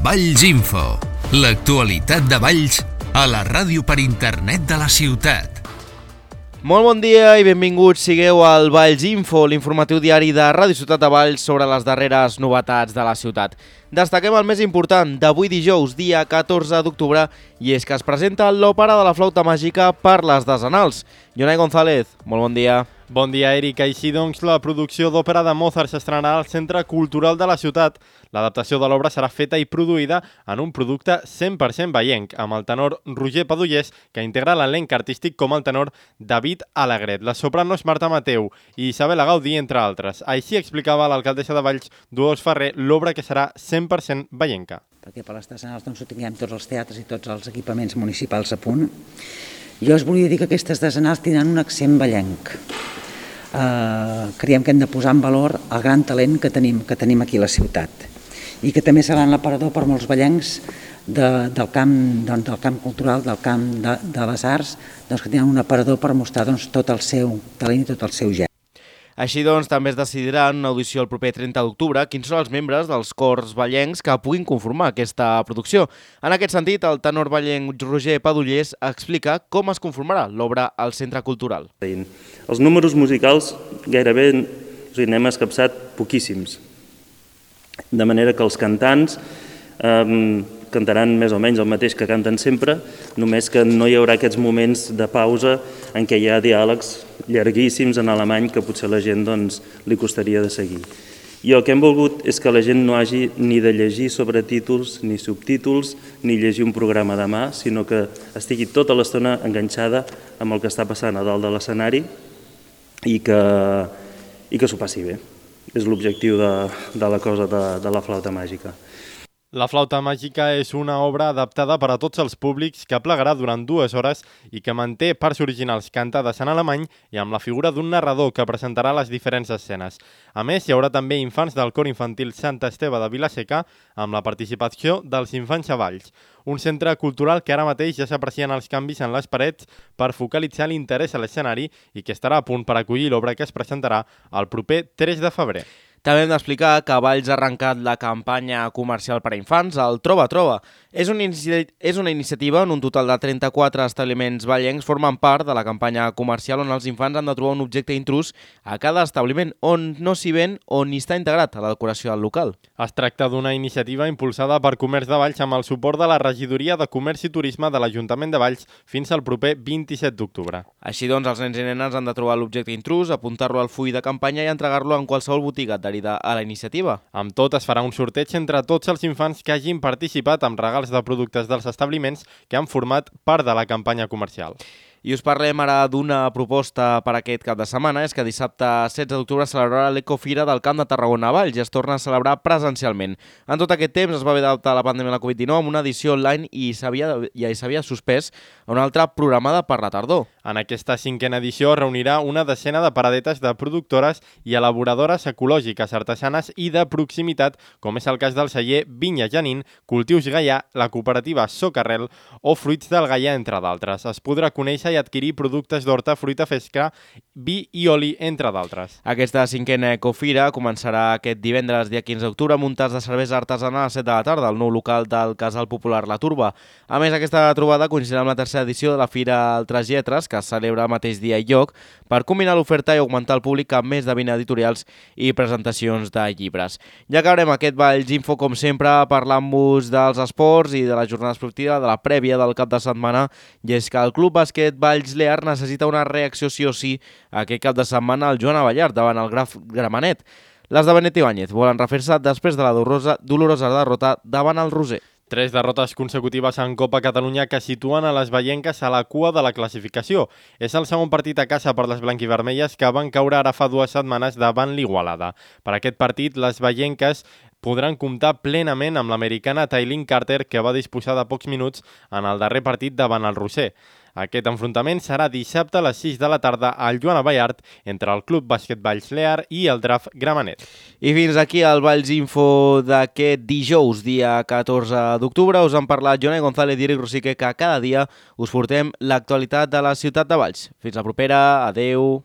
Valls Info, l'actualitat de Valls a la ràdio per internet de la ciutat. Molt bon dia i benvinguts sigueu al Valls Info, l'informatiu diari de Ràdio Ciutat de Valls sobre les darreres novetats de la ciutat. Destaquem el més important d'avui dijous, dia 14 d'octubre, i és que es presenta l'òpera de la flauta màgica per les desenals. Jonai González, molt bon dia. Bon dia, Eric. Així doncs, la producció d'òpera de Mozart s'estrenarà al Centre Cultural de la ciutat. L'adaptació de l'obra serà feta i produïda en un producte 100% vallenc, amb el tenor Roger Padullés, que integra l'elenc artístic com el tenor David Alegret, la sopranos Marta Mateu i Isabel Gaudí, entre altres. Així explicava l'alcaldessa de Valls, Dolors Ferrer, l'obra que serà 100% vallenca. Perquè per les desenals ho tinguem tots els teatres i tots els equipaments municipals a punt. Jo us volia dir que aquestes desenals tindran un accent vallenc. Creiem que hem de posar en valor el gran talent que tenim aquí a la ciutat i que també serà l'aparador per molts vallencs del camp cultural, del camp de les arts, que tenen un aparador per mostrar tot el seu talent i tot el seu geni. Així doncs, també es decidirà en una audició el proper 30 d'octubre quins són els membres dels cors vallencs que puguin conformar aquesta producció. En aquest sentit, el tenor vallenc Roger Padullés explica com es conformarà l'obra al Centre Cultural. Els números musicals gairebé n'hem escapçat poquíssims, de manera que els cantants cantaran més o menys el mateix que canten sempre, només que no hi haurà aquests moments de pausa en què hi ha diàlegs llarguíssims en alemany que potser a la gent li costaria de seguir. I el que hem volgut és que la gent no hagi ni de llegir sobretítols ni subtítols ni llegir un programa de mà, sinó que estigui tota l'estona enganxada amb el que està passant a dalt de l'escenari i que s'ho passi bé. És l'objectiu de la cosa de la flauta màgica. La flauta màgica és una obra adaptada per a tots els públics que plegarà durant 2 hores i que manté parts originals cantades en alemany i amb la figura d'un narrador que presentarà les diferents escenes. A més, hi haurà també infants del cor infantil Sant Esteve de Vila-seca amb la participació dels infants a Valls, un centre cultural que ara mateix ja s'aprecien els canvis en les parets per focalitzar l'interès a l'escenari i que estarà a punt per acollir l'obra que es presentarà el proper 3 de febrer. També hem d'explicar que Valls ha arrencat la campanya comercial per a infants, el Troba Troba. És una iniciativa on un total de 34 establiments vallencs formen part de la campanya comercial on els infants han de trobar un objecte intrús a cada establiment on no s'hi ven o ni està integrat a la decoració del local. Es tracta d'una iniciativa impulsada per Comerç de Valls amb el suport de la Regidoria de Comerç i Turisme de l'Ajuntament de Valls fins al proper 27 d'octubre. Així doncs, els nens i nenes han de trobar l'objecte intrús, apuntar-lo al full de campanya i entregar-lo en qualsevol botiga adherida a la iniciativa. Amb tot, es farà un sorteig entre tots els infants que hagin participat amb regals de productes dels establiments que han format part de la campanya comercial. I us parlem ara d'una proposta per aquest cap de setmana. És que dissabte 16 d'octubre celebrarà l'Ecofira del Camp de Tarragona a Valls i es torna a celebrar presencialment. En tot aquest temps es va haver d'adaptar la pandèmia de la Covid-19 amb una edició online i s'havia suspès a una altra programada per la tardor. En aquesta 5a edició reunirà una decena de paradetes de productores i elaboradores ecològiques, artesanes i de proximitat, com és el cas del celler Vinya Janín, Cultius Gaià, la cooperativa Socarrel o Fruits del Gaià, entre d'altres. Es podrà conèixer i adquirir productes d'horta, fruita fresca, vi i oli, entre d'altres. Aquesta 5a Ecofira començarà aquest divendres, dia 15 d'octubre, amb un tas de cervesa artesana a les 7 de la tarda, al nou local del Casal Popular La Turba. A més, aquesta trobada coincidirà amb la tercera edició de la Fira Altres Lletres, que es celebra al mateix dia i lloc, per combinar l'oferta i augmentar el públic amb més de 20 editorials i presentacions de llibres. Ja acabarem aquest Valls Info, com sempre, parlant-vos dels esports i de la jornada esportiva, de la prèvia del cap de setmana, i és que el Club Bàsquet Valls Lear necessita una reacció sí o sí aquest cap de setmana al Joan Abellard davant el Graf Gramenet. Les de Benet Ibáñez volen refer-se després de la dolorosa derrota davant el Roser. 3 derrotes consecutives en Copa Catalunya que situen a les vallenques a la cua de la classificació. És el segon partit a casa per les blanquivermelles que van caure ara fa 2 setmanes davant l'Igualada. Per aquest partit, les vallenques podran comptar plenament amb l'americana Tailyn Carter, que va disposar de pocs minuts en el darrer partit davant el Roser. Aquest enfrontament serà dissabte a les 6 de la tarda al Joan Abellard entre el Club Bàsquet Valls Lear i el Graf Gramenet. I fins aquí el Valls Info d'aquest dijous, dia 14 d'octubre. Us han parlat Jonai González i Eric Rosique, que cada dia us portem l'actualitat de la ciutat de Valls. Fins la propera, adeu.